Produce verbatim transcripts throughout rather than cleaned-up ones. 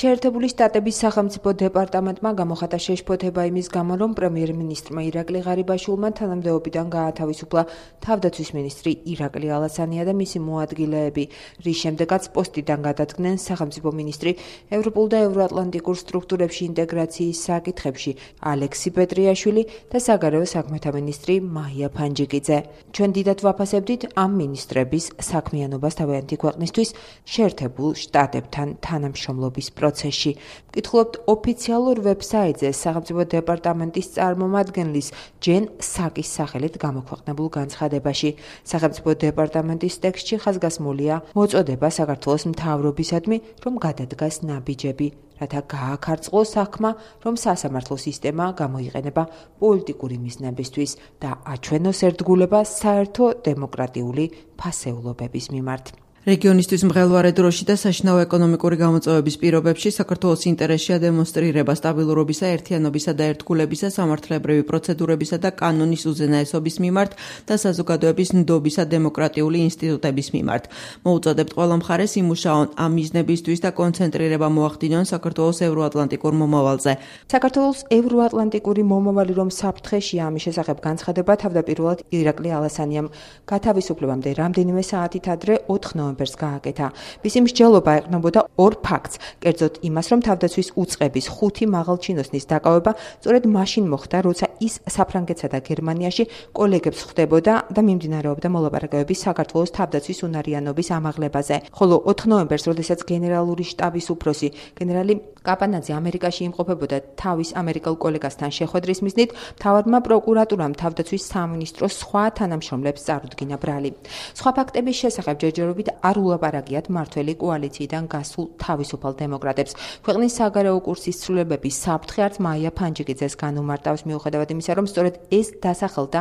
შეერთებული შტატების სახელმწიფო დეპარტამენტმა გამოხატა შეშფოთება იმის გამო, რომ პრემიერ-მინისტრმა ირაკლი ღარიბაშვილმა თანამდებობიდან გაათავისუფლა თავდაცვის მინისტრი ირაკლი ალასანია და მისი მოადგილეები, რის შემდეგაც პოსტიდან გადადგნენ სახელმწიფო მინისტრი ევროპულ და ევროატლანტიკურ სტრუქტურებში ინტეგრაციის საკითხებში ალექსი პეტრიაშვილი და საგარეო საქმეთა მინისტრი მაია ფანჯიკიძე. ჩვენ დიდად ვაფასებდით ამ მინისტრების საქმიანობას თავიანთი ქვეყნისთვის შეერთებულ შტატებთან თანამშრომლობის პროცესში. ვკითხულობთ ოფიციალურ ვებსაიტზე სახელმწიფო დეპარტამენტის წარმომადგენლის ჯენ საკის სახელით გამოქვეყნებულ განცხადებაში. სახელმწიფო დეპარტამენტის ტექსტში ხაზგასმულია მოწოდება საქართველოს მთავრობისადმი, რომ გადადგას ნაბიჯები, რათა გააქარწყლოს საქმე, რომ სასამართლო სისტემა გამოიყენება პოლიტიკური მიზნებისთვის და აჩვენოს ერთგულება საერთო დემოკრატიული ფასეულობების მიმართ. რეგიონისთვის მღელვარე დროში და საშინაო ეკონომიკური გამოწვევების პირობებში საქართველოს ინტერესშია დემონსტრირება სტაბილურობისა, ერთიანობისა და ერთგულებისა, სამართლებრივი პროცედურებისა და კანონის უზენაესობის მიმართ და საზოგადოების ნდობისა დემოკრატიული ინსტიტუტების მიმართ. მოუწოდებთ ყველა მხარეს იმუშაონ ამ მიზნებისთვის და კონცენტრირება მოახდინონ საქართველოს ევროატლანტიკურ მომავალზე. საქართველოს ევროატლანტიკური მომავალი რომ საფრთხეშია, ამის შესახებ განცხადება თავდაპირველად ირაკლი ალასანიამ გათავისუფლებამდე რამდენიმე საათით ადრე ოთხ ნოემბერს გააკეთა. მისი მსჯელობა ეყრდნობოდა ორ ფაქტს, კერძოდ იმას, რომ თავდაცვის უწყების ხუთი მაღალჩინოსნის დაკავება სწორედ მაშინ მოხდა, როცა ის საფრანგეთსა და გერმანიაში კოლეგებს ხვდებოდა და მიმდინარეობდა მოლაპარაკებები საქართველოს თავდაცვის უნარიანობის ამაღლებაზე. ხოლო ოთხ ნოემბერს, როდესაც გენერალური შტაბის უფროსი გენერალი კაპანაძე ამერიკაში იმყოფებოდა თავის ამერიკელ კოლეგასთან შეხვედრის მიზნით, მთავარმა პროკურატურამ თავდაცვის სამინისტროს სხვა თანამშრომლებს წარუდგინა ბრალი. სხვა ფაქტების შესახებ ჯერჯერობით არ ულაპარაკიათ მმართველი კოალიციიდან გასულ თავისუფალ დემოკრატებს. ქვეყნის საგარეო კურსის ცვლილებების საფრთხე არც მაია ფანჯიკიძეს განუმარტავს, მიუხედავად იმისა, რომ სწორედ ეს დასახელდა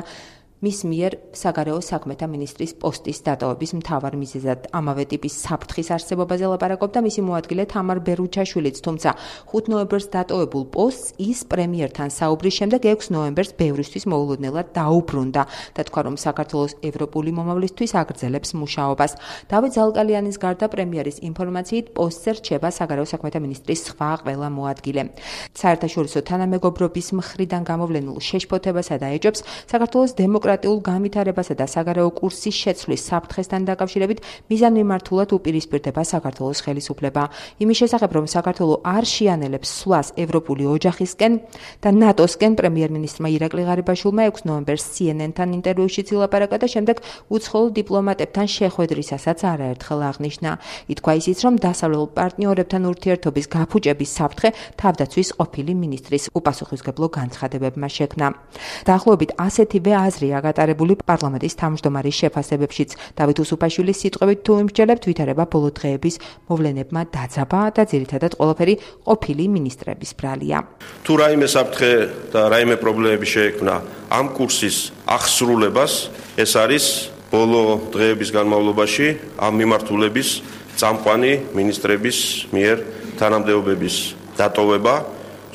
მის მიერ საგარეო საქმეთა მინისტრის პოსტის დატოვების მთავარ მიზეზად. ამავე ტიპის საფრთხის არსებობაზე ლაპარაკობდა მისი მოადგილე თამარ ბერუჩაშვილიც, თუმცა ხუთ ნოემბერს დატოვებულ პოსტს ის პრემიერთან საუბრის შემდეგ ექვს ნოემბერს ბევრისთვის მოულოდნელად დაუბრუნდა და თქვა, რომ საქართველოს ევროპული მომავლისთვის აგრძელებს მუშაობას. დავით ზალკალიანის გარდა პრემიერის ინფორმაციით პოსტზე რჩება საგარეო საქმეთა მინისტრის სხვა ყველა მოადგილე. საერთაშორისო თანამეგობრობის მხრიდან გამოვლენილ შეშფოთებასა და ეჭვებს საქართველოს დემოკრატიული დემოკრატიულ განვითარებასა და საგარეო კურსის შეცვლის საფრთხესთან დაკავშირებით მიზანმიმართულად უპირისპირდება საქართველოს ხელისუფლება. იმის შესახებ, რომ საქართველო არ შეანელებს სვლას ევროპული ოჯახისკენ და ნატოსკენ, პრემიერ-მინისტრმა ირაკლი ღარიბაშვილმა ექვს ნოემბერს სი ენ ენ-თან ინტერვიუში ილაპარაკა და შემდეგ უცხოელ დიპლომატებთან შეხვედრისასაც არაერთხელ აღნიშნა. ითქვა ისიც, რომ დასავლელ პარტნიორებთან ურთიერთობის გაფუჭების საფრთხე თავდაცვის ყოფილი მინისტრის უპასუხისმგებლო განცხადებებმა შექმნა. დაახლოებით ასეთივე აზრია გატარებული პარლამენტის თავმჯდომარის შეფასებებშიც. დავით უსუფაშვილის სიტყვებით თუ იმსჯელებთ, ვითარება ბოლო დღეების მოვლენებმა დაძაბა და ძირითადად ყველაფერი ყოფილი მინისტრების ბრალია. თუ რაიმე საფრთხე და რაიმე პრობლემები შეექმნა ამ კურსის აღსრულებას, ეს არის ბოლო დღეების განმავლობაში ამ მიმართულების წამყვანი მინისტრების მიერ თანამდებობების დატოვება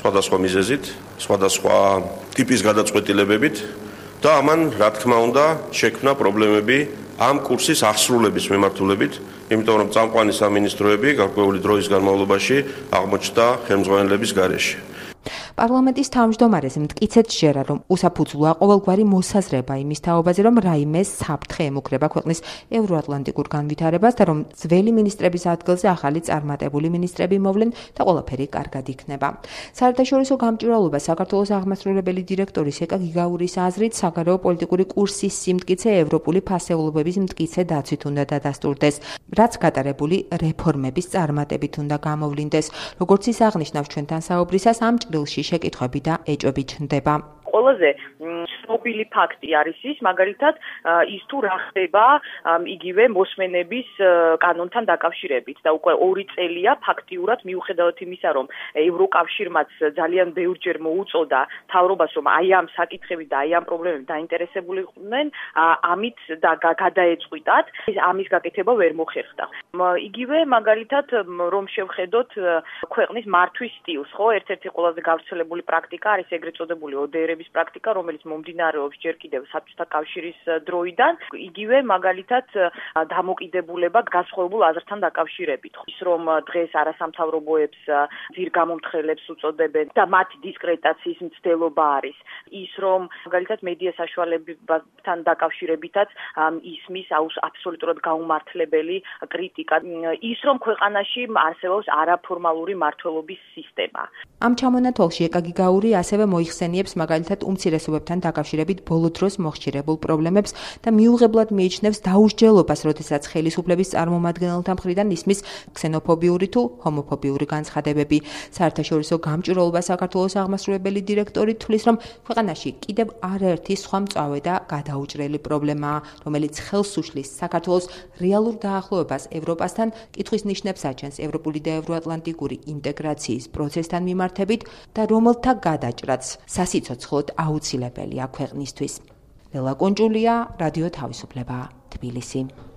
სხვადასხვა მიზეზით, სხვადასხვა ტიპის გადაწყვეტილებებით და ამან, რა თქმა უნდა, შექმნა პრობლემები ამ კურსის აღსრულების მიმართულებით, იმიტომ რომ წამყვანი სამინისტროები გარკვეული დროის განმავლობაში აღმოჩნდა ხელმძღვანელების გარეშე. პარლამენტის თავმჯდომარეს მტკიცედ სჯერა, რომ უსაფუძვლოა ყოველგვარი მოსაზრება იმის თაობაზე, რომ რაიმე საფრთხე ემუქრება ქვეყნის ევროატლანტიკურ განვითარებას და რომ ძველი მინისტრების ადგილზე ახალი წარმატებული მინისტრები მოვლენ და ყველაფერი კარგად იქნება. საერთაშორისო გამჭვირვალობა საქართველოს აღმასრულებელი დირექტორის ეკა გიგაურის აზრით, საგარეო პოლიტიკური კურსის სიმტკიცე ევროპული ფასეულობების მტკიცე დაცვით უნდა დადასტურდეს, რაც გატარებული რეფორმების წარმატებით უნდა გამოვლინდეს. როგორც ის აღნიშნავს ჩვენთან საუბრისას, ამ ჭრილში შეკითხვები და ეჭვები ჩნდება. ყველაზე ცნობილი ფაქტი არის ის, მაგალითად, ის თუ რა ხდება იგივე მოსმენების კანონთან დაკავშირებით და უკვე ორი წელია ფაქტიურად მიუხედავად იმისა, რომ ევროკავშირმაც ძალიან ბევრჯერ მოუწოდა მთავრობას, რომ აი ამ საკითხებით და აი ამ პრობლემებით დაინტერესებულიყვნენ, ამით და გადაეწყვიტათ, ამის გაკეთება ვერ მოხერხდა. იგივე მაგალითად, რომ შევხედოთ ქვეყნის მართვის სტილს, ხო, ერთ-ერთი ყველაზე გავრცელებული პრაქტიკა არის ეგრეთ წოდებული ო დე ერების განხილვის პრაქტიკა, რომელიც მომდინარეობს ჯერ კიდევ საბჭოთა კავშირის დროიდან, იგივე მაგალითად დამოკიდებულება განსხვავებულ აზრთან დაკავშირებით. ის რომ დღეს არასამთავრობოებს ძირ გამომთხელებს უწოდებენ და მათი დისკრედიტაციის მცდელობა არის. ის რომ მაგალითად მედია საშუალებებთან დაკავშირებითაც ისმის აბსოლუტურად გაუმართლებელი კრიტიკა. ის რომ ქვეყანაში არსებობს არაფორმალური მმართველობის სისტემა. ამ ჩამონათვალში ეკა გიგაური ასევე მოიხსენიებს მაგალითად უმცირესობებთან დაკავშირებით ბოლო დროს მოხშირებულ პრობლემებს და მიუღებლად მიიჩნევს დაუსჯელობას, როდესაც ხელისუფლების წარმომადგენელთა მხრიდან ისმის ქსენოფობიური თუ ჰომოფობიური განცხადებები. საერთაშორისო გამჭვირვალობა საქართველოს აღმასრულებელი დირექტორი თვლის, რომ ქვეყანაში კიდევ არაერთი სხვა მწვავე და გადაუჭრელი პრობლემაა, რომელიც ხელს უშლის საქართველოს რეალურ დაახლოებას ევროპასთან, კითხვის ნიშნებს აჩენს ევროპული და ევროატლანტიკური ინტეგრაციის პროცესთან მიმართებით და რომელთა გადაჭრაც სასიცოცხლოდ აუცილებელია ქვეყნისთვის. ლელა კონჭულია, რადიო თავისუფლება, თბილისი.